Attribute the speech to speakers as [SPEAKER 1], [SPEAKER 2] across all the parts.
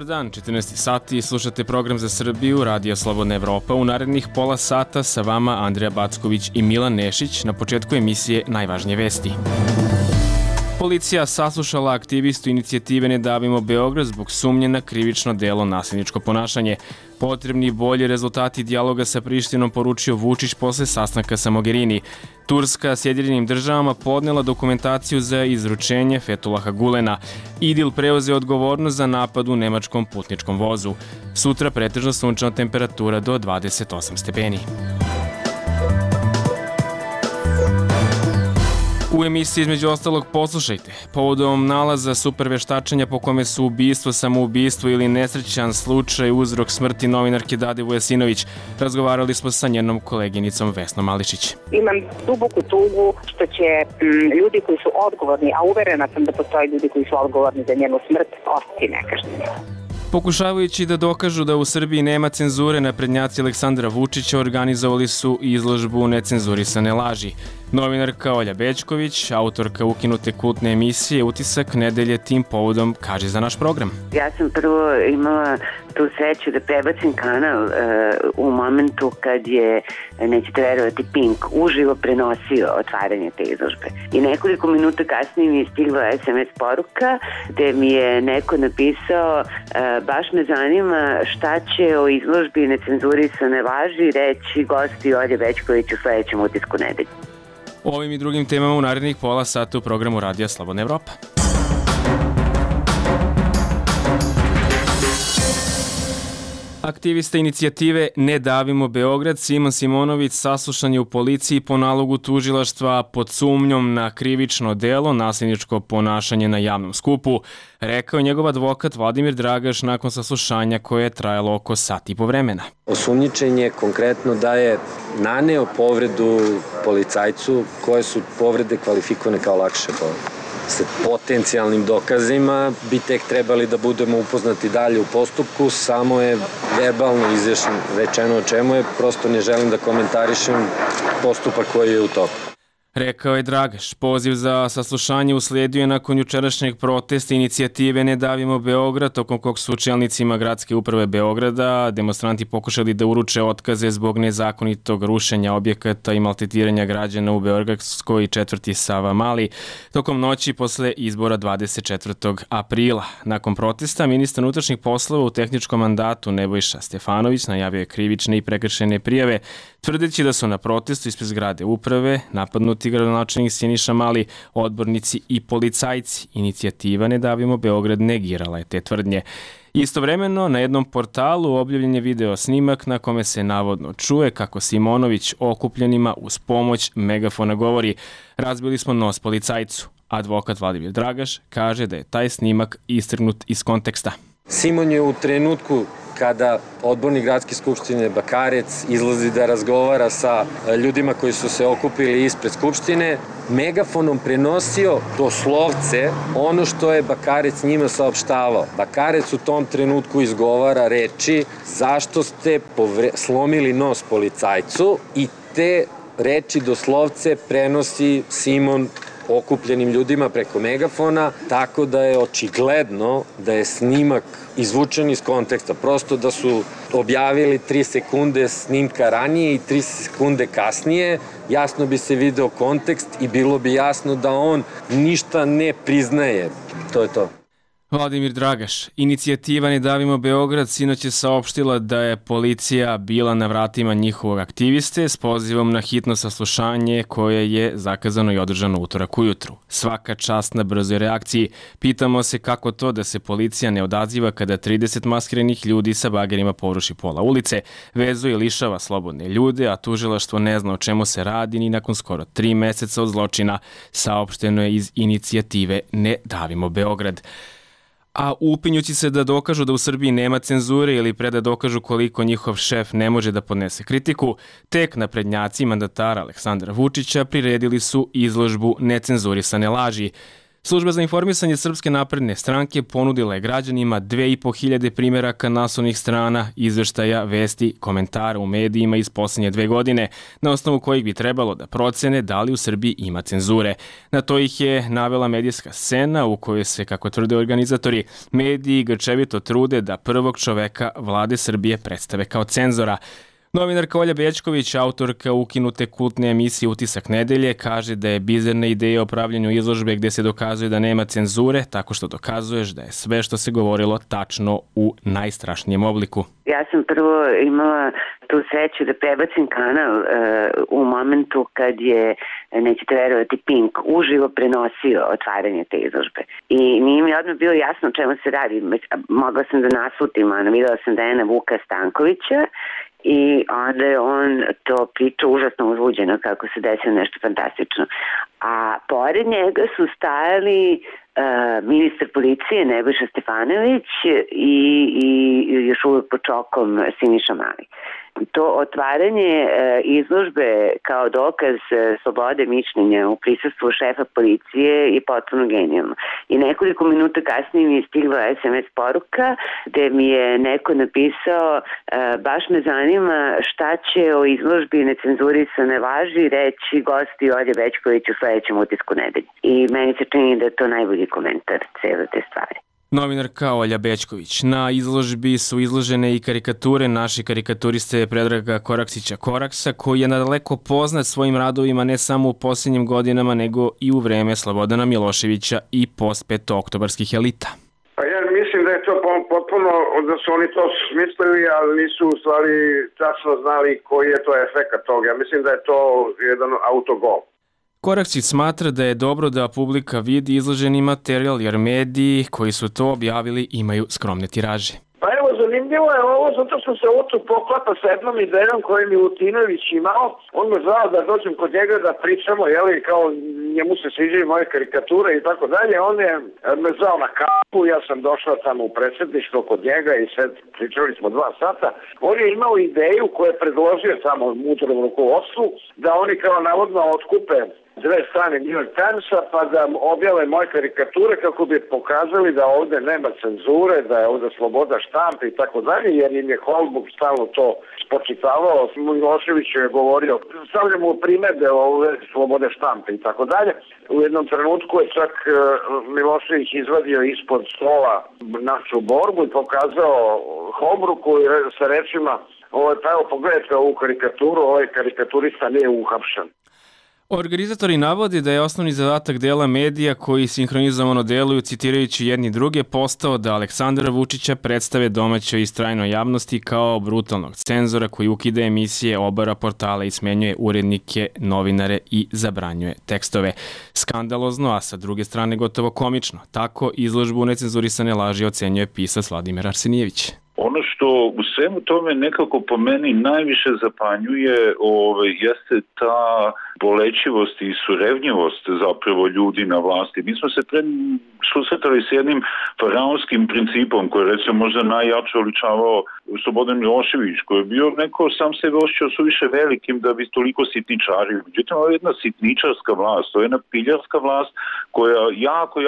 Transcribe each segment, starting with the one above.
[SPEAKER 1] Dobar dan, 14 sati, slušate program za Srbiju, Radio Slobodna Evropa. U narednih pola sata sa vama Andreja Backović i Milan Nešić. Na početku emisije najvažnije vesti. Policija saslušala aktivistu inicijative Ne davimo Beograd zbog sumnje na krivično delo nasilničko ponašanje. Potrebni bolji rezultati dijaloga sa Prištinom, poručio Vučić posle sastanka sa Mogherini. Turska Sjedinjenim državama podnela dokumentaciju za izručenje Fetulaha Gulena. Idil preuzeo odgovornost za napad u nemačkom putničkom vozu. Sutra pretežno sunčana temperatura do 28 stepeni. U emisiji između ostalog poslušajte. Povodom nalaza superveštačenja po kome su ubistvo, samoubistvo ili nesrećan slučaj uzrok smrti novinarke Dade Vujasinović, razgovarali smo sa njenom koleginicom Vesnom Mališić.
[SPEAKER 2] Imam duboku tugu što će ljudi koji su odgovorni, a uverena sam da postoje ljudi koji su odgovorni za njenu smrt, ostati nekažnjeni.
[SPEAKER 1] Pokušavajući da dokažu da u Srbiji nema cenzure, naprednjaci Aleksandra Vučića organizovali su izložbu Necenzurisane laži. Novinarka Olja Bećković, autorka ukinute kultne emisije Utisak nedelje, tim povodom kaže za naš program.
[SPEAKER 3] Ja sam prvo imala tu sreću da prebacim kanal u momentu kad je, nećete verovati, Pink uživo prenosio otvaranje te izložbe. I nekoliko minuta kasnije mi je stigla SMS poruka gde mi je neko napisao baš me zanima šta će o izložbi Necenzurisane laži reći gosti Olje Bećković u sledećem Utisku nedelje.
[SPEAKER 1] O ovim i drugim temama u narednih pola sata u programu Radija Slobodna Evropa. Aktivista inicijative Ne davimo Beograd Simon Simonović saslušan je u policiji po nalogu tužilaštva pod sumnjom na krivično delo nasilničko ponašanje na javnom skupu, rekao je njegov advokat Vladimir Dragaš nakon saslušanja koje je trajalo oko sat i po vremena.
[SPEAKER 4] Osumnjičen je konkretno da je naneo povredu policajcu, koje su povrede kvalifikovane kao lakše povrede. Sa potencijalnim dokazima bi tek trebali da budemo upoznati dalje u postupku, samo je verbalno rečeno o čemu je, prosto ne želim da komentarišem postupak koji je u toku.
[SPEAKER 1] Rekao je Dragaš. Poziv za saslušanje usledio je nakon jučerašnjeg protesta inicijative Ne davimo Beograd, tokom kog su čelnicima gradske uprave Beograda demonstranti pokušali da uruče otkaze zbog nezakonitog rušenja objekata i maltretiranja građana u beogradskoj četvrti Savamali tokom noći posle izbora 24. aprila. Nakon protesta, ministar unutrašnjih poslova u tehničkom mandatu Nebojša Stefanović najavio je krivične i prekršajne prijave, tvrdeći da su na protestu ispred zgrade uprave napadnuti gradonačelnik Siniša Mali, odbornici i policajci. Inicijativa Ne davimo Beograd negirala je te tvrdnje. Istovremeno, na jednom portalu objavljen je video snimak na kome se navodno čuje kako Simonović okupljenima uz pomoć megafona govori: "Razbili smo nos policajcu." Advokat Vladimir Dragaš kaže da je taj snimak istrgnut iz konteksta.
[SPEAKER 4] Simon je u trenutku kada odbornik gradske skupštine Bakarec izlazi da razgovara sa ljudima koji su se okupili ispred skupštine, megafonom prenosio doslovce ono što je Bakarec njima saopštavao. Bakarec u tom trenutku izgovara reči: "Zašto ste slomili nos policajcu?" i te reči doslovce prenosi Simon okupljenim ljudima preko megafona, tako da je očigledno da je snimak izvučen iz konteksta. Prosto da su objavili 3 sekunde snimka ranije i 3 sekunde kasnije, jasno bi se video kontekst i bilo bi jasno da on ništa ne priznaje. To je to.
[SPEAKER 1] Vladimir Dragaš. Inicijativa Ne davimo Beograd sinoć je saopštila da je policija bila na vratima njihovog aktiviste s pozivom na hitno saslušanje koje je zakazano i održano utorak ujutru. Svaka čast na brzoj reakciji. Pitamo se kako to da se policija ne odaziva kada 30 maskiranih ljudi sa bagerima poruši pola ulice, vezuje i lišava slobodne ljude, a tužilaštvo ne zna o čemu se radi ni nakon skoro 3 meseca od zločina, saopšteno je iz inicijative Ne davimo Beograd. A upinjući se da dokažu da u Srbiji nema cenzure ili pre da dokažu koliko njihov šef ne može da podnese kritiku, tek naprednjaci mandatara Aleksandra Vučića priredili su izložbu Necenzurisane laži. Služba za informisanje Srpske napredne stranke ponudila je građanima 2500 primjeraka naslovnih strana, izveštaja, vesti, komentara u medijima iz posljednje 2 godine, na osnovu kojih bi trebalo da procene da li u Srbiji ima cenzure. Na to ih je navela medijska scena u kojoj se, kako tvrde organizatori, mediji grčevito trude da prvog čoveka vlade Srbije predstave kao cenzora. Novinarka Olja Bećković, autorka ukinute kultne emisije Utisak nedelje, kaže da je bizarna ideja o pravljenju izložbe gdje se dokazuje da nema cenzure, tako što dokazuješ da je sve što se govorilo tačno u najstrašnijem obliku.
[SPEAKER 3] Ja sam prvo imala tu sreću da prebacim kanal u momentu kad je, nećete verovati, Pink uživo prenosio otvaranje te izložbe. I nije mi odmah bilo jasno o čemu se radi. Mogla sam da naslutim, videla sam da je na Vuka Stankovića, i onda je on to pričao užasno uzbuđeno kako se desilo nešto fantastično. A pored njega su stajali ministar policije Nebojša Stefanović i još uvijek pod čokom Siniša Mali. To otvaranje izložbe kao dokaz slobode mišljenja u prisustvu šefa policije je potpuno genijalno. I nekoliko minuta kasnije mi je stigla SMS poruka gde mi je neko napisao baš me zanima šta će o izložbi necenzurisane laži reći gosti Olje Bećković u sledećem Utisku nedelje. I meni se čini da je to najbolji komentar cele te stvari.
[SPEAKER 1] Novinarka Olja Bećković. Na izložbi su izložene i karikature naše karikaturiste Predraga Koraksića Koraksa, koji je nadaleko poznat svojim radovima ne samo u posljednjim godinama, nego i u vreme Slobodana Miloševića i postpetooktobarskih elita.
[SPEAKER 5] Pa ja mislim da je to potpuno, da su oni to smislili, ali nisu u stvari tačno znali koji je to efekat toga. Ja mislim da je to jedan autogol.
[SPEAKER 1] Koraksić smatra da je dobro da publika vidi izloženi materijal, jer mediji koji su to objavili imaju skromne tiraže.
[SPEAKER 5] Pa evo, zanimljivo je ovo, zato što se ovo tu poklapa sa jednom idejom koju je Milutinović imao. On me zvao da dođem kod njega da pričamo, jeli, kao njemu se sviđaju moje karikature i tako dalje. On je me zvao na kafu, ja sam došla tamo u predsjedništvo kod njega i sad pričali smo 2 sata. On je imao ideju koju je predložio tamo unutarnjem rukovodstvu, da oni kao navodno otkupe 2 strane New York Timesa pa da objave moje karikature kako bi pokazali da ovdje nema cenzure, da je ovdje sloboda štampe i tako dalje, jer im je Holbrook stalno to spočitavao. Milošević je govorio, stavljamo primede ove slobode štampe i tako dalje. U jednom trenutku je čak Milošević izvadio ispod stola našu borbu i pokazao Holbrooku sa rečima, pa evo pogledajte ovu karikaturu, ovaj karikaturista nije uhapšen.
[SPEAKER 1] Organizatori navode da je osnovni zadatak dela medija koji sinhronizovano deluju citirajući jedni druge postao da Aleksandra Vučića predstave domaćoj i strajnoj javnosti kao brutalnog cenzora koji ukida emisije, obara portala i smenjuje urednike, novinare i zabranjuje tekstove. Skandalozno, a sa druge strane gotovo komično. Tako izložbu necenzurisane laži ocenjuje pisac Vladimir Arsenijević.
[SPEAKER 6] Ono što u svemu tome nekako po meni najviše zapanjuje jeste ta bolećivost i surevnjivost zapravo ljudi na vlasti. Mi smo se susretali s jednim faraonskim principom koji je recimo možda najjače oličavao Slobodan Milošević, koji je bio neko sam sebe osjećao suviše velikim da bi toliko sitničario. Međutim, ovo je jedna sitničarska vlast, to je jedna piljarska vlast koja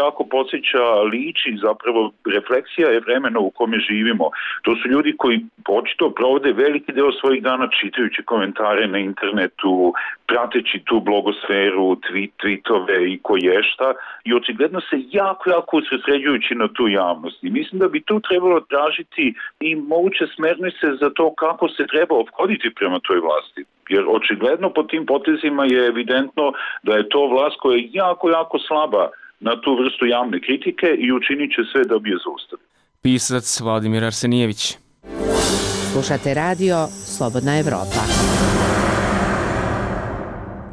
[SPEAKER 6] jako podsjeća, liči zapravo, refleksija je vremena u kome živimo. To su ljudi koji očito provode veliki deo svojih dana čitajući komentare na internetu, prateći tu blogosferu, tweetove i koješta i očigledno se jako usredsređujući na tu javnost. I mislim da bi tu trebalo tražiti i moguće smernice za to kako se treba ophoditi prema toj vlasti. Jer očigledno po tim potezima je evidentno da je to vlast koja je jako slaba na tu vrstu javne kritike i učinit će sve da bi je zaustavili.
[SPEAKER 1] Pisac Vladimir Arsenijević.
[SPEAKER 7] Slušate radio Slobodna Evropa.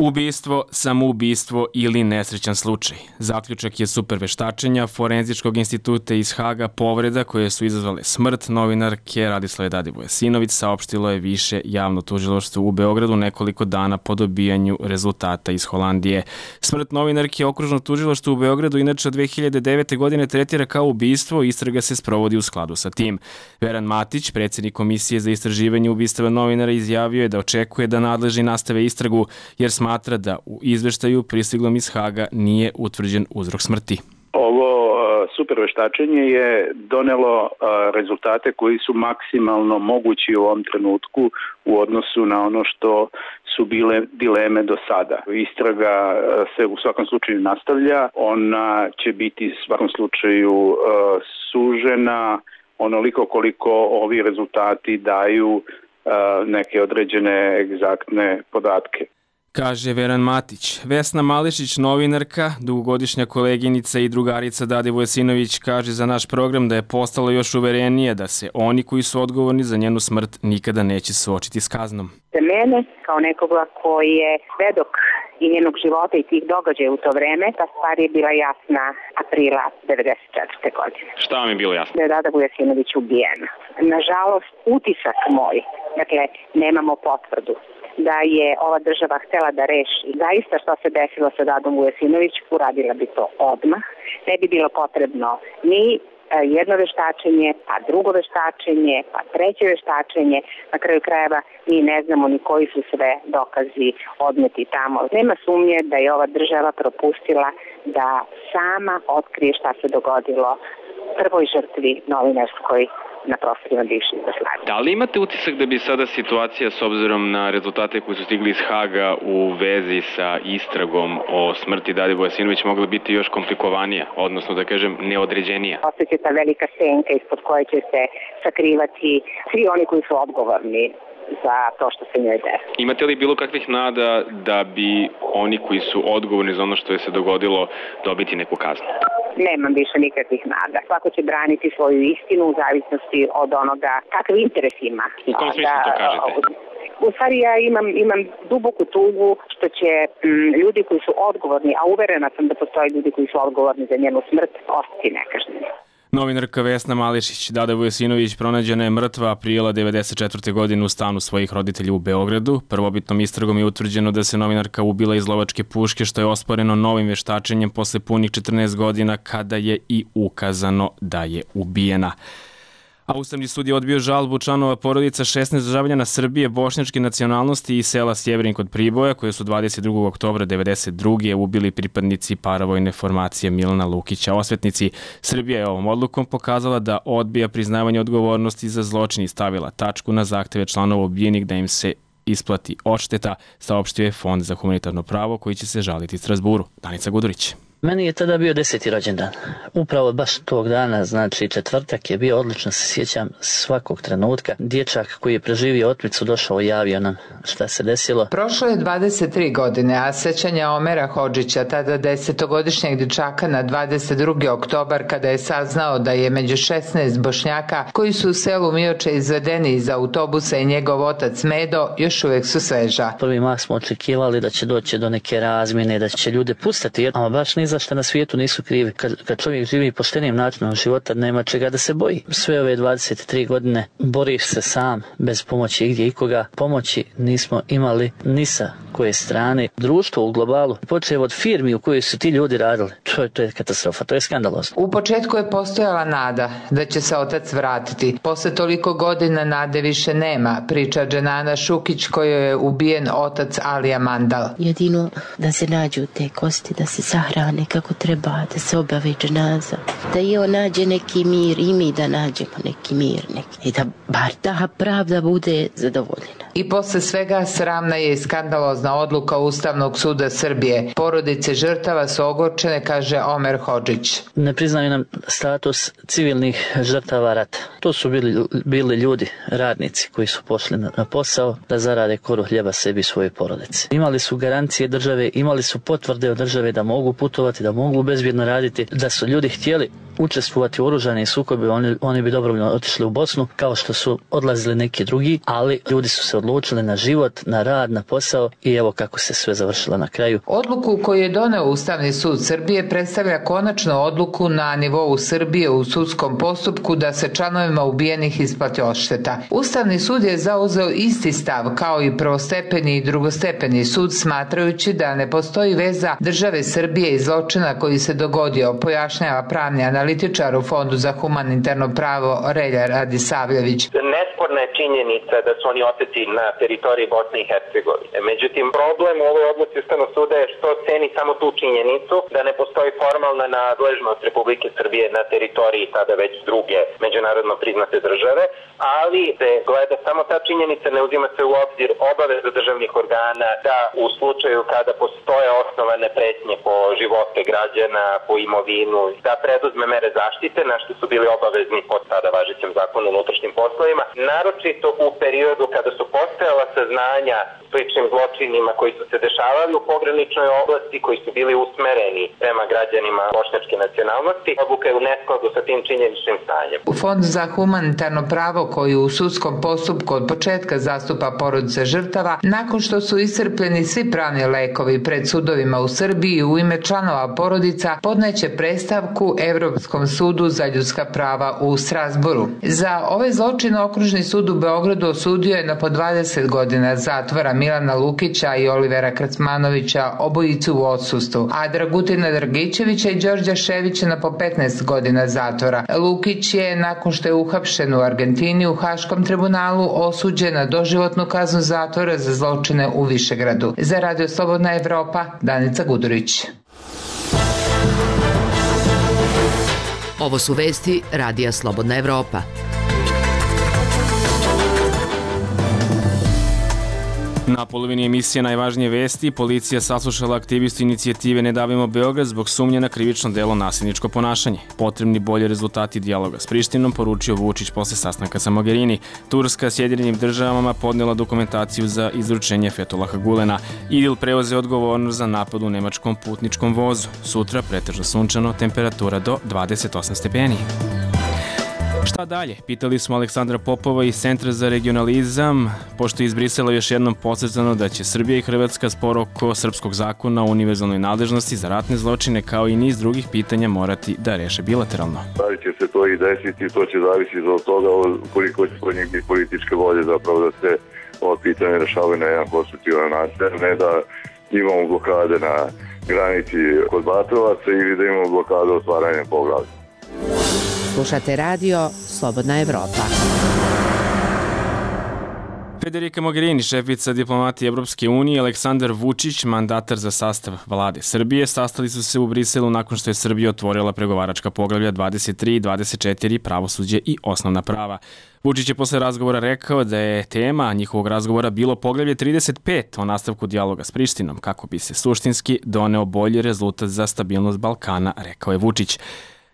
[SPEAKER 1] Ubistvo, samoubistvo ili nesrećan slučaj. Zaključak je superveštačenja Forenzičkog instituta iz Haga povreda koje su izazvale smrt novinarke Radislave Dadivojasinović saopštilo je više javno tužilaštvo u Beogradu nekoliko dana po dobijanju rezultata iz Holandije. Smrt novinarke okružno tužilaštvo u Beogradu inače 2009. godine tretira kao ubistvo i istraga se sprovodi u skladu sa tim. Veran Matić, predsjednik Komisije za istraživanje ubistava novinara, izjavio je da očekuje da nadležni nastave istragu jer smatra smatra da u izveštaju pristiglom iz Haga nije utvrđen uzrok smrti.
[SPEAKER 8] Ovo superveštačenje je donelo rezultate koji su maksimalno mogući u ovom trenutku u odnosu na ono što su bile dileme do sada. Istraga se u svakom slučaju nastavlja, ona će biti u svakom slučaju sužena onoliko koliko ovi rezultati daju neke određene egzaktne podatke.
[SPEAKER 1] Kaže Veran Matić. Vesna Mališić, novinarka, dugogodišnja koleginica i drugarica Dade Vujasinović, kaže za naš program da je postalo još uverenije da se oni koji su odgovorni za njenu smrt nikada neće suočiti s kaznom.
[SPEAKER 2] Za mene, kao nekoga koji je svedok i njenog života i tih događaja u to vreme, ta stvar je bila jasna aprila 1994. godine.
[SPEAKER 1] Šta vam je bilo jasno?
[SPEAKER 2] Da je Dada Vujasinović ubijena. Nažalost, utisak moj, dakle, nemamo potvrdu da je ova država htela da reši zaista što se desilo sa Dadom Vujasinović, uradila bi to odmah. Ne bi bilo potrebno ni jedno veštačenje, pa drugo veštačenje, pa treće veštačenje. Na kraju krajeva mi ne znamo ni koji su sve dokazi odneti tamo. Nema sumnje da je ova država propustila da sama otkrije šta se dogodilo prvoj žrtvi novinarskoj na prostorima bivše Jugoslavije.
[SPEAKER 1] Da li imate utisak da bi sada situacija s obzirom na rezultate koji su stigli iz Haga u vezi sa istragom o smrti Dade Vujasinović mogla biti još komplikovanija, odnosno da kažem neodređenija?
[SPEAKER 2] Ostaće ta velika senka ispod koje će se sakrivati svi oni koji su odgovorni za to što se njoj desilo.
[SPEAKER 1] Imate li bilo kakvih nada da bi oni koji su odgovorni za ono što je se dogodilo dobiti neku kaznu?
[SPEAKER 2] Nemam više nikakvih nada. Svako će braniti svoju istinu u zavisnosti od onoga kakav interes ima.
[SPEAKER 1] U kom smislu to kažete?
[SPEAKER 2] U stvari ja imam duboku tugu što će ljudi koji su odgovorni, a uverena sam da postoje ljudi koji su odgovorni za njenu smrt, ostati nekažnjeni.
[SPEAKER 1] Novinarka Vesna Mališić. Dada Vujasinović pronađena je mrtva aprila 1994. godine u stanu svojih roditelja u Beogradu. Prvobitnom istragom je utvrđeno da se novinarka ubila iz lovačke puške, što je osporeno novim veštačenjem posle punih 14 godina kada je i ukazano da je ubijena. A Ustavni sud je odbio žalbu članova porodica 16 državljana Srbije bošnjačke nacionalnosti iz sela Sjeverin kod Priboja, koje su 22. oktobra 1992. ubili pripadnici paravojne formacije Milana Lukića. Osvetnici Srbija je ovom odlukom pokazala da odbija priznavanje odgovornosti za zločin i stavila tačku na zahteve članova ubijenih da im se isplati odšteta, saopštio je Fond za humanitarno pravo koji će se žaliti Strazburu. Danica Gudurić.
[SPEAKER 9] Meni je tada bio 10. rođendan. Upravo baš tog dana, znači četvrtak je bio, odlično se sjećam svakog trenutka. Dječak koji je preživio otmicu došao i javio nam šta se desilo.
[SPEAKER 10] Prošlo je 23 godine, a sećanja Omera Hodžića, tada 10-godišnjeg dječaka na 22. oktobar kada je saznao da je među 16 Bošnjaka koji su u selu Mioče izvedeni iz autobusa i njegov otac Medo, još uvijek su sveža.
[SPEAKER 9] Prvi mah smo očekivali da će doći do neke razmjene, da će ljude pustiti, ama baš ni zašto na svijetu nisu krivi. Kad čovjek živi poštenim načinom života, nema čega da se boji. Sve ove 23 godine boriš se sam, bez pomoći igdje ikoga. Pomoći nismo imali ni sa koje strane. Društvo u globalu, počev od firmi u kojoj su ti ljudi radili, to je katastrofa, to je skandalozno.
[SPEAKER 10] U početku je postojala nada da će se otac vratiti. Posle toliko godina nade više nema, priča Dženana Šukić kojoj je ubijen otac Alija Mandal.
[SPEAKER 11] Jedino da se nađu te kosti, da se sahrane kako treba, da se obave dženaza, da i on nađe neki mir i mi da nađemo neki mir i da bar ta pravda bude zadovoljena.
[SPEAKER 10] I posle svega sramna je i skandalozna odluka Ustavnog suda Srbije. Porodice žrtava su ogorčene, kaže Omer Hodžić.
[SPEAKER 9] Ne priznaju nam status civilnih žrtava rata. To su bili ljudi, radnici koji su pošli na posao da zarade koru hljeba sebi i svoje porodice. Imali su garancije države, imali su potvrde od države da mogu putovati, da mogu bezbjedno raditi, da su ljudi htjeli učestvovati u oružanim sukobima, oni bi dobrovoljno otišli u Bosnu, kao što su odlazili neki drugi, ali ljudi su se odlučili na život, na rad, na posao i evo kako se sve završilo na kraju.
[SPEAKER 10] Odluku koju je doneo Ustavni sud Srbije predstavlja konačnu odluku na nivou Srbije u sudskom postupku da se članovima ubijenih isplati odšteta. Ustavni sud je zauzeo isti stav kao i prvostepeni i drugostepeni sud, smatrajući da ne postoji veza države Srbije i zločina koji se dogodio, pojašnjava pravni analitik analitičar u Fondu za humanitarno pravo Relja Radisavljević.
[SPEAKER 12] Nesporna je činjenica da su oni oteti na teritoriji Bosne i Hercegovine. Međutim, problem u ovoj odluci Ustavnog suda je što ceni samo tu činjenicu da ne postoji formalna nadležnost Republike Srbije na teritoriji tada već druge međunarodno priznate države, ali se gleda samo ta činjenica, ne uzima se u obzir obaveza državnih organa da u slučaju kada postoje osnovane pretnje po živote građana, po imovinu, da preduzme mere zaštite, na što su bili obavezni po tada važećem zakonu o unutrašnjim poslovima, naročito u periodu kada su postojala saznanja sličnim zločinima koji su se dešavali u pograničnoj oblasti, koji su bili usmereni prema građanima bošnjačke nacionalnosti. Odluka je u neskladu sa tim činjeničnim stanjem.
[SPEAKER 10] U Fond za humanitarno pravo koji u sudskom postupku od početka zastupa porodice žrtava, nakon što su iscrpljeni svi pravni lekovi pred sudovima u Srbiji u ime članova porodica, podneće predstavku Evropskom sudu za ljudska prava u Strasboru. Za ove zločine Okružni sud u Beogradu osudio je na po 20 godina zatvora Milana Lukića i Olivera Kracmanovića, obojicu u odsustvu, a Dragutina Dragičevića i Đorđa Ševića na po 15 godina zatvora. Lukić je, nakon što je uhapšen u Argentini u Haškom tribunalu, osuđen na doživotnu kaznu zatvora za zločine u Višegradu. Za Radio Slobodna Evropa, Danica Gudurić.
[SPEAKER 7] Ovo su vesti Radija Slobodna Evropa.
[SPEAKER 1] Na polovini emisije Najvažnije vesti, policija saslušala aktivistu inicijative Ne davimo Beograd zbog sumnje na krivično delo nasilničko ponašanje. Potrebni bolji rezultati dijaloga s Prištinom, poručio Vučić posle sastanka sa Mogherini. Turska Sjedinjenim državama podnela dokumentaciju za izručenje Fetulaha Gulena. Idil preuzeo odgovornost za napad u nemačkom putničkom vozu. Sutra pretežno sunčano, temperatura do 28 stepeni. Šta dalje? Pitali smo Aleksandra Popova iz Centra za regionalizam, pošto je iz Brisela još jednom podsjetano da će Srbija i Hrvatska spor oko srpskog zakona o univerzalnoj nadležnosti za ratne zločine kao i niz drugih pitanja morati da reše bilateralno.
[SPEAKER 13] Da li će se to i desiti, to će zavisiti od toga koliko će kod njih biti političke volje zapravo da se ovo pitanje rešavaju na jedan konstruktivan način, ne da imamo blokade na granici kod Batrovaca ili da imamo blokade otvaranja poglavlja.
[SPEAKER 7] Slušate radio Slobodna Evropa.
[SPEAKER 1] Federica Mogherini, šefica diplomatije Evropske unije, Aleksandar Vučić, mandatar za sastav vlade Srbije, sastali su se u Briselu nakon što je Srbija otvorila pregovaračka poglavlja 23 i 24, pravosuđe i osnovna prava. Vučić je posle razgovora rekao da je tema njihovog razgovora bilo poglavlje 35 o nastavku dijaloga s Prištinom, kako bi se suštinski doneo bolji rezultat za stabilnost Balkana, rekao je Vučić.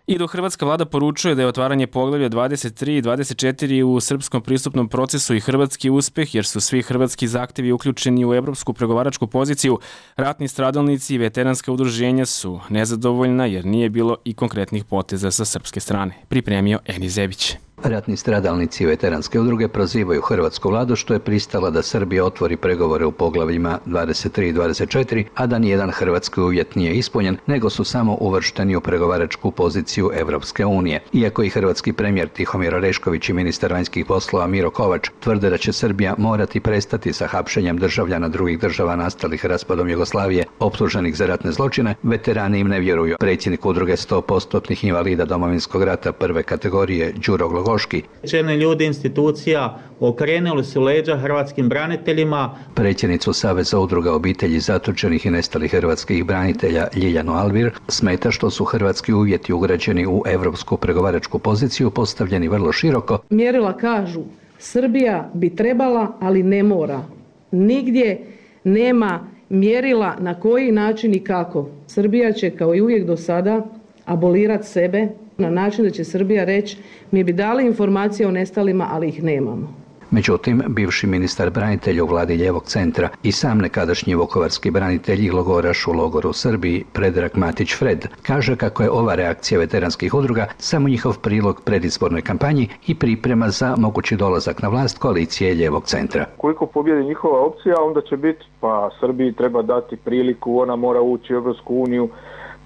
[SPEAKER 1] I dok hrvatska vlada poručuje da je otvaranje poglavlja 23 i 24 u srpskom pristupnom procesu i hrvatski uspeh, jer su svi hrvatski zahtevi uključeni u evropsku pregovaračku poziciju, ratni stradalnici i veteranska udruženja su nezadovoljna jer nije bilo i konkretnih poteza sa srpske strane. Pripremio Eni Zebić.
[SPEAKER 14] Ratni stradalnici i veteranske udruge prozivaju hrvatsku vladu što je pristala da Srbija otvori pregovore u poglavljima 23 i 24, a da nijedan hrvatski uvjet nije ispunjen, nego su samo uvršteni u pregovaračku poziciju Evropske unije. Iako i hrvatski premijer Tihomir Orešković i ministar vanjskih poslova Miro Kovač tvrde da će Srbija morati prestati sa hapšenjem državljana drugih država nastalih raspadom Jugoslavije optuženih za ratne zločine, veterani im ne vjeruju. Predsjednik udruge 100% invalida Domovinskog rata prve kategorije Đuro Glogoški.
[SPEAKER 15] Čelni ljudi institucija okrenuli su leđa hrvatskim braniteljima.
[SPEAKER 14] Predsjednicu Saveza udruga obitelji zatočenih i nestalih hrvatskih branitelja Ljiljanu Alvir smeta što su hrvatski uvjeti ugrađeni u evropsku pregovaračku poziciju postavljeni vrlo široko.
[SPEAKER 16] Mjerila kažu Srbija bi trebala, ali ne mora. Nigdje nema mjerila na koji način i kako. Srbija će kao i uvijek do sada abolirati sebe na način da će Srbija reći mi bi dali informacije o nestalima, ali ih nemamo.
[SPEAKER 14] Međutim, bivši ministar branitelja u vladi Lijevog centra i sam nekadašnji vukovarski branitelj i logoraš u logoru u Srbiji, Predrag Matić Fred, kaže kako je ova reakcija veteranskih udruga samo njihov prilog predizbornoj kampanji i priprema za mogući dolazak na vlast koalicije Lijevog centra.
[SPEAKER 17] Koliko pobjedi njihova opcija, onda će biti pa Srbiji treba dati priliku, ona mora ući u Evropsku uniju,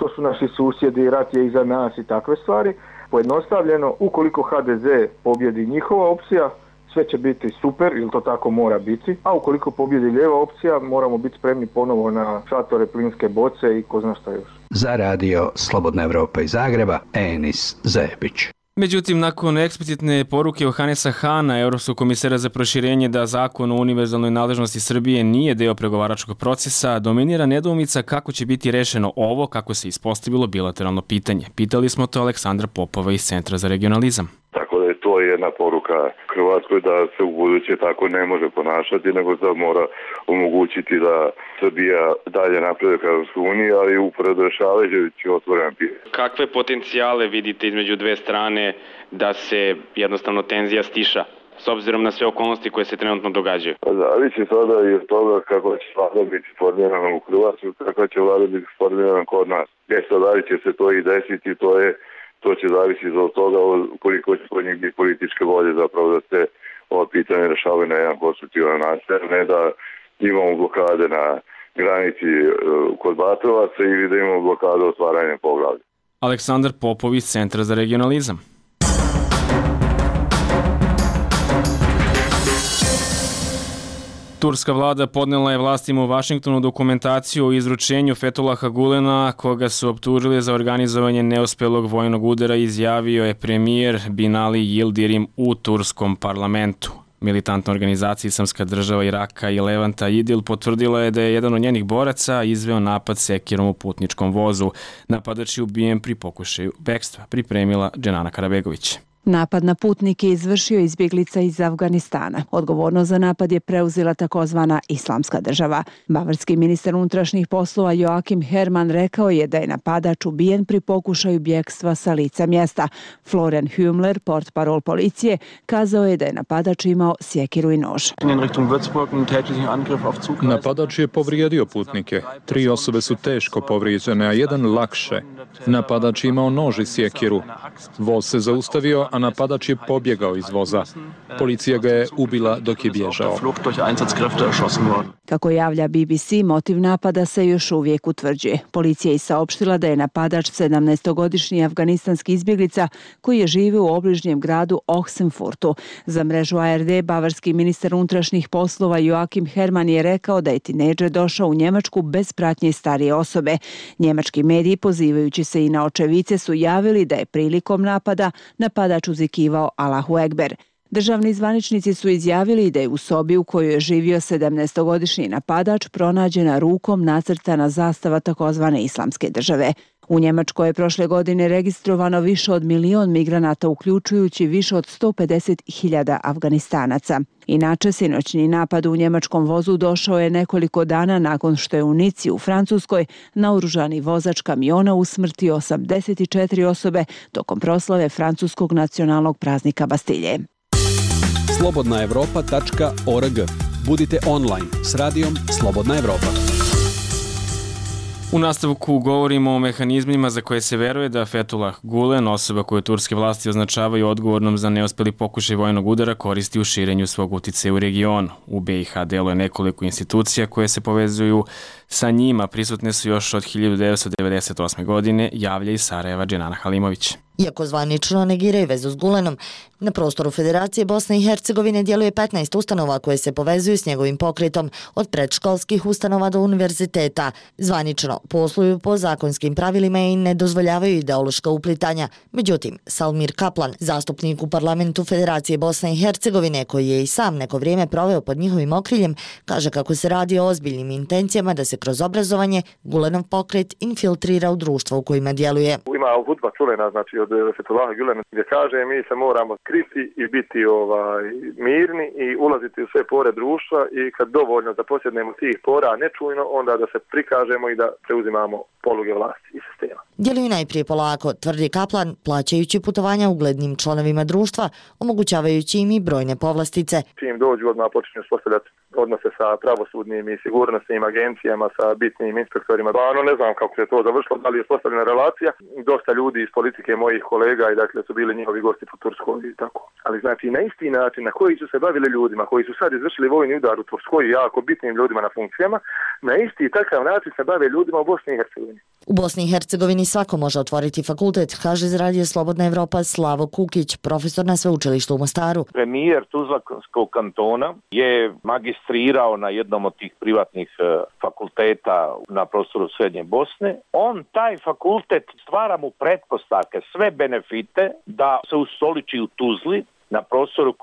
[SPEAKER 17] to su naši susjedi, rat je iza nas i takve stvari. Pojednostavljeno, ukoliko HDZ pobjedi njihova opcija, sve će biti super, ili to tako mora biti, a ukoliko pobjedi lijeva opcija, moramo biti spremni ponovo na šatore, plinske boce i ko zna šta još.
[SPEAKER 14] Za radio Slobodna Evropa iz Zagreba, Enis Zebić.
[SPEAKER 1] Međutim, nakon eksplicitne poruke Johanesa Hana, Evropskog komisara za proširenje da zakon o univerzalnoj nadležnosti Srbije nije deo pregovaračkog procesa, dominira nedoumica kako će biti rešeno ovo, kako se ispostavilo bilateralno pitanje. Pitali smo to Aleksandra Popova iz Centra za regionalizam.
[SPEAKER 13] Tako da je to jedna poruka Hrvatskoj da se u buduće tako ne može ponašati, nego da mora omogućiti da Srbija dalje napreduje ka Evropskoj uniji, ali uporedo rešavajući otvoren pitanje.
[SPEAKER 1] Kakve potencijale vidite između dve strane da se jednostavno tenzija stiša, s obzirom na sve okolnosti koje se trenutno događaju?
[SPEAKER 13] Zavisi sada i od toga kako će vlada biti formirana u Hrvatskoj, kako će vlada biti formirana kod nas. Da li će se to i desiti, to će zavisiti od toga koliko će kod njih biti političke volje zapravo da se ovo pitanje rešavaju na jedan konstruktivan način, ne da imamo blokade na granici kod Batrovaca ili da imamo blokade otvaranja poglavlja.
[SPEAKER 1] Aleksandar Popović, Centra za regionalizam. Turska vlada podnela je vlastima u Vašingtonu dokumentaciju o izručenju Fethullaha Gulena, koga su optužili za organizovanje neuspelog vojnog udara, izjavio je premijer Binali Yildirim u turskom parlamentu. Militantna organizacija Islamska država Iraka i Levanta Idil potvrdila je da je jedan od njenih boraca izveo napad sekirom u putničkom vozu. Napadač je ubijen pri pokušaju bekstva, pripremila Dženana Karabegović.
[SPEAKER 18] Napad na putnike izvršio izbjeglica iz Afganistana. Odgovornost za napad je preuzela takozvana Islamska država. Bavarski ministar unutrašnjih poslova Joachim Herrmann rekao je da je napadač ubijen pri pokušaju bjegstva sa lica mjesta. Florian Hümler, portparol policije, kazao je da je napadač imao sjekiru i nož.
[SPEAKER 19] Napadač je povrijedio putnike. 3 osobe su teško povrijeđene, a jedan lakše. Napadač je imao nož i sjekiru. Voz se zaustavio, a napadač je pobjegao iz voza. Policija ga je ubila dok je bježao.
[SPEAKER 18] Kako javlja BBC, motiv napada se još uvijek utvrđuje. Policija je saopštila da je napadač 17-godišnji afganistanski izbjeglica koji je živio u obližnjem gradu Ochsenfurtu. Za mrežu ARD, bavarski ministar unutrašnjih poslova Joachim Herrmann je rekao da je tinejđer došao u Njemačku bez pratnje starije osobe. Njemački mediji, pozivajući se i na očevice, su javili da je prilikom napada napadač uzvikivao Allahu Ekber. Državni zvaničnici su izjavili da je u sobi u kojoj je živio 17-godišnji napadač pronađena rukom nacrtana zastava takozvane Islamske države. U Njemačkoj je prošle godine registrovano više od 1 milion migranata, uključujući više od 150.000 Afganistanaca. Inače, sinoćni napad u njemačkom vozu došao je nekoliko dana nakon što je u Nici u Francuskoj naoružani vozač kamiona usmrtio 84 osobe tokom proslave francuskog nacionalnog praznika Bastilje.
[SPEAKER 20] slobodnaevropa.org. Budite online s radijom Slobodna Evropa.
[SPEAKER 1] U nastavku govorimo o mehanizmima za koje se veruje da Fethullah Gulen, osoba koju turske vlasti označavaju odgovornom za neuspeli pokušaj vojnog udara, koristi u širenju svog uticaja u regionu. U BiH deluje nekoliko institucija koje se povezuju sa njima. Prisutne su još od 1998. godine, javlja iz Sarajeva Dženana Halimović.
[SPEAKER 21] Iako zvanično negiraju vezu s Gulenom, na prostoru Federacije Bosne i Hercegovine djeluje 15 ustanova koje se povezuju s njegovim pokretom, od predškolskih ustanova do univerziteta. Zvanično posluju po zakonskim pravilima i ne dozvoljavaju ideološka uplitanja. Međutim, Salmir Kaplan, zastupnik u parlamentu Federacije Bosne i Hercegovine, koji je i sam neko vrijeme proveo pod njihovim okriljem, kaže kako se radi o ozbiljnim intencijama da se kroz obrazovanje Gulenov pokret infiltrira u društvo u kojima djeluje.
[SPEAKER 17] Ima hudba čuvena, znači od Fethullaha Gulena, gdje kaže mi se moramo kriti i biti mirni i ulaziti u sve pore društva i kad dovoljno da posjednemo tih pora nečujno, onda da se prikažemo i da preuzimamo poluge vlasti i sistema.
[SPEAKER 21] Djeluju najprije polako, tvrdi Kaplan, plaćajući putovanja uglednim članovima društva, omogućavajući im i brojne povlastice.
[SPEAKER 17] Čim dođu, odmah počinju uspostavljati odnose sa pravosudnim i sigurnosnim agencijama, sa bitnim inspektorima. Ne znam kako se to završilo, da li je uspostavljena relacija. Dosta ljudi iz politike mojih kolega i dakle su bili njihovi gosti po Turskoj i tako. Ali znači na isti način na koji su se bavili ljudima koji su sad izvršili vojni udar u Turskoj, jako bitnim ljudima na funkcijama, na isti takav način se bave ljudima u Bosni i Hercegovini.
[SPEAKER 21] U Bosni i Hercegovini svako može otvoriti fakultet, kaže iz Radija Slobodna Evropa Slavo Kukić, profesor na sveučilištu u Mostaru.
[SPEAKER 4] Premijer Tuzlanskog kantona je magistrirao na jednom od tih privatnih fakulteta na prostoru Srednje Bosne. On taj fakultet stvara mu pretpostavke, sve benefite da se ustoliči u Tuzli na prostoru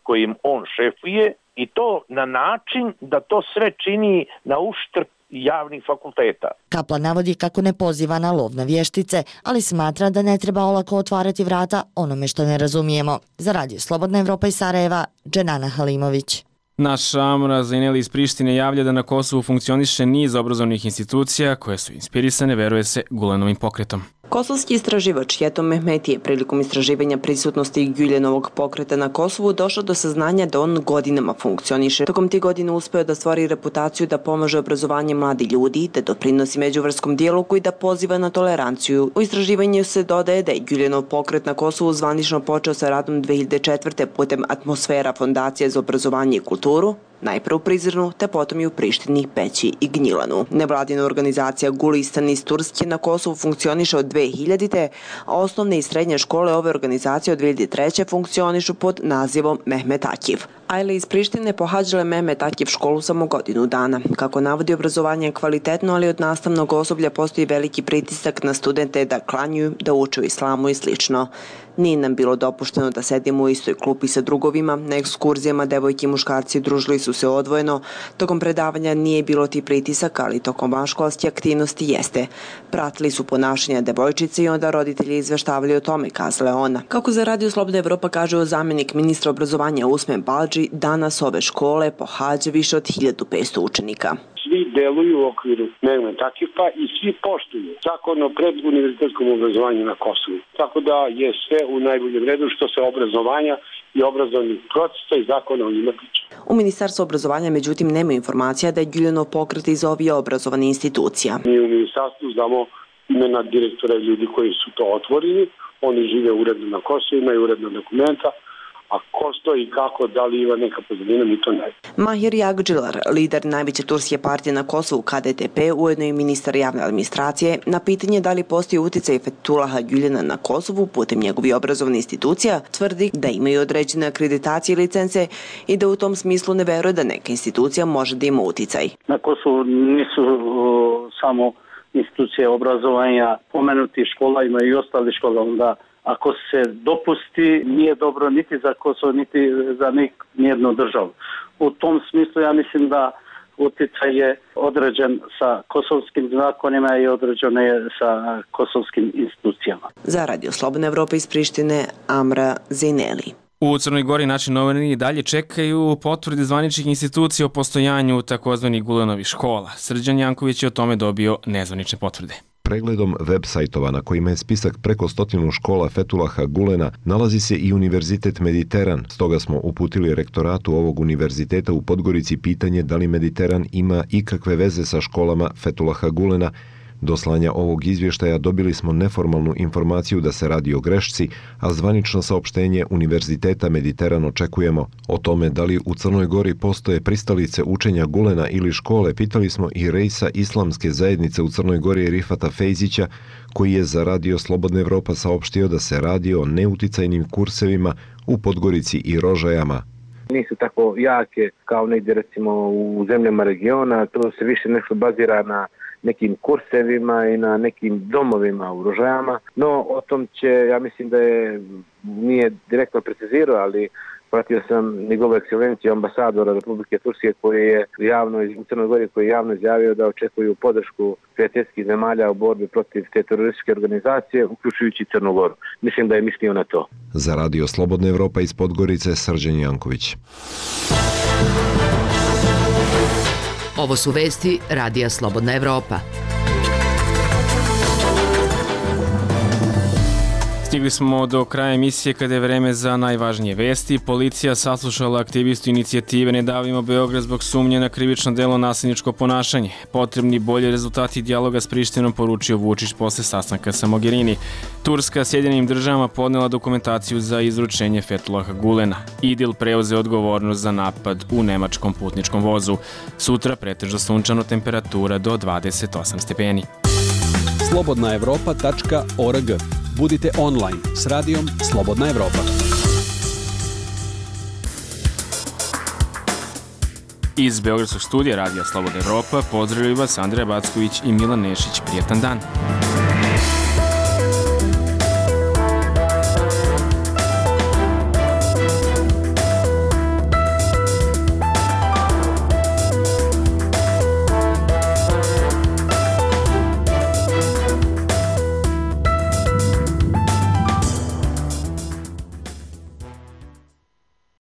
[SPEAKER 4] kojim on šefuje i to na način da to sve čini na uštrb javnih fakulteta.
[SPEAKER 21] Kaplan navodi kako ne poziva na lov na vještice, ali smatra da ne treba olako otvarati vrata onome što ne razumijemo. Za Radio Slobodna Evropa iz Sarajeva, Dženana Halimović.
[SPEAKER 1] Naš Amra Zaineli iz Prištine javlja da na Kosovu funkcioniše niz obrazovnih institucija koje su inspirisane, veruje se, Gulenovim pokretom.
[SPEAKER 22] Kosovski istraživač Jetom Mehmeti je prilikom istraživanja prisutnosti Güljenovog pokreta na Kosovu došao do saznanja da on godinama funkcioniše. Tokom tih godina uspeo da stvori reputaciju da pomaže obrazovanje mladi ljudi, da doprinosi međuvrskom dijalogu i da poziva na toleranciju. U istraživanju se dodaje da je Güljenov pokret na Kosovu zvanično počeo sa radom 2004. putem Atmosfera fondacije za obrazovanje i kulturu, najpre u Prizrenu, te potom i u Prištini, Peći i Gnjilanu. Nevladina organizacija Gulistan iz Turske na Kosovu funkcioniše od 2000. a osnovne i srednje škole ove organizacije od 2003. funkcionišu pod nazivom Mehmet Akif. Ajle iz Prištine pohađale Mehmet Akif školu samo godinu dana. Kako navodi, obrazovanje je kvalitetno, ali od nastavnog osoblja postoji veliki pritisak na studente da klanjuju, da uče o islamu i slično. Nije nam bilo dopušteno da sedimo u istoj klupi sa drugovima, na ekskurzijama devojke i muškarci družili su se odvojeno, tokom predavanja nije bilo ti pritisaka, ali tokom vanškolske aktivnosti jeste. Pratili su ponašanja devojčice i onda roditelji izveštavali o tome, kazala ona. Kako za Radio Slobodna Evropa kaže zamjenik ministra obrazovanja Usmen Balđi, danas ove škole pohađa više od 1500 učenika.
[SPEAKER 23] Svi deluju u okviru Mehmet Akifa i svi poštuju zakon o preduniverzitetskom obrazovanju na Kosovu. Tako da je sve u najboljem redu što se obrazovanja i obrazovnih procesa i zakona o njima tiče.
[SPEAKER 22] U Ministarstvu obrazovanja, međutim, nema informacija da je Güljenov pokret iz ovih obrazovana institucija.
[SPEAKER 23] Mi u Ministarstvu znamo imena direktora i ljudi koji su to otvorili. Oni žive uredno na Kosovu, imaju uredna dokumenta. A ko stoji i kako, da li ima neka pozadina, mi to ne.
[SPEAKER 22] Mahir Jagdžilar, lider najveće turske partije na Kosovu KDTP, ujedno i ministar javne administracije, na pitanje da li postoji uticaj Fethulaha Güljena na Kosovu putem njegovih obrazovnih institucija, tvrdi da imaju određene akreditacije i licence i da u tom smislu ne veruje da neka institucija može da ima uticaj.
[SPEAKER 24] Na Kosovu nisu samo institucije obrazovanja, pomenuti škola, imaju i ostali škola, onda ako se dopusti, nije dobro niti za Kosovo, niti za nijednu državu. U tom smislu ja mislim da utjecaj je određen sa kosovskim zakonima i određen je sa kosovskim institucijama.
[SPEAKER 22] Za Radio Slobodna Evropa iz Prištine, Amra Zaineli.
[SPEAKER 1] U Crnoj Gori naši novinari dalje čekaju potvrde zvaničnih institucija o postojanju takozvanih Gulenovih škola. Srđan Janković je o tome dobio nezvanične potvrde.
[SPEAKER 25] Pregledom web sajtova na kojima je spisak preko 100 škola Fethulaha Gulena nalazi se i Univerzitet Mediteran. Stoga smo uputili rektoratu ovog univerziteta u Podgorici pitanje da li Mediteran ima ikakve veze sa školama Fethulaha Gulena. Do slanja ovog izvještaja dobili smo neformalnu informaciju da se radi o grešci, a zvanično saopštenje Univerziteta Mediteran očekujemo. O tome da li u Crnoj Gori postoje pristalice učenja Gulena ili škole pitali smo i rejsa islamske zajednice u Crnoj Gori Rifata Fejzića, koji je za Radio Slobodna Evropa saopštio da se radi o neuticajnim kursevima u Podgorici i Rožajama.
[SPEAKER 26] Nisu tako jake kao negdje recimo u zemljama regiona, to se više nešto bazira na nekim kursevima i na nekim domovima u Rožajama, no o tom će, ja mislim da nije direktno precizirao, ali pratio sam njegovu ekscelenciju ambasadora Republike Turske koji je u Crnoj Gori koji je javno izjavio da očekuju podršku prijateljskih zemalja u borbi protiv te terorističke organizacije, uključujući Crnu Goru. Mislim da je mislio na to.
[SPEAKER 25] Za Radio Slobodna Evropa iz Podgorice, Srđan Janković.
[SPEAKER 7] Ovo su vesti Radija Slobodna Evropa.
[SPEAKER 1] Stigli smo do kraja emisije kada je vreme za najvažnije vesti. Policija saslušala aktivistu inicijative Ne davimo Beograd zbog sumnje na krivično delo nasilničko ponašanje. Potrebni bolji rezultati dijaloga s Prištinom, poručio Vučić posle sastanka sa Mogherini. Turska Sjedinjenim državama podnela dokumentaciju za izručenje Fethulaha Gulena. Idil preuzeo odgovornost za napad u nemačkom putničkom vozu. Sutra pretežno sunčano, temperatura do 28 stepeni.
[SPEAKER 20] slobodnaevropa.org. Budite online s radijom Slobodna Evropa.
[SPEAKER 1] Iz Beogradskog studija Radija Slobodna Evropa pozdravljaju vas Andreja Backović i Milan Nešić. Prijetan dan.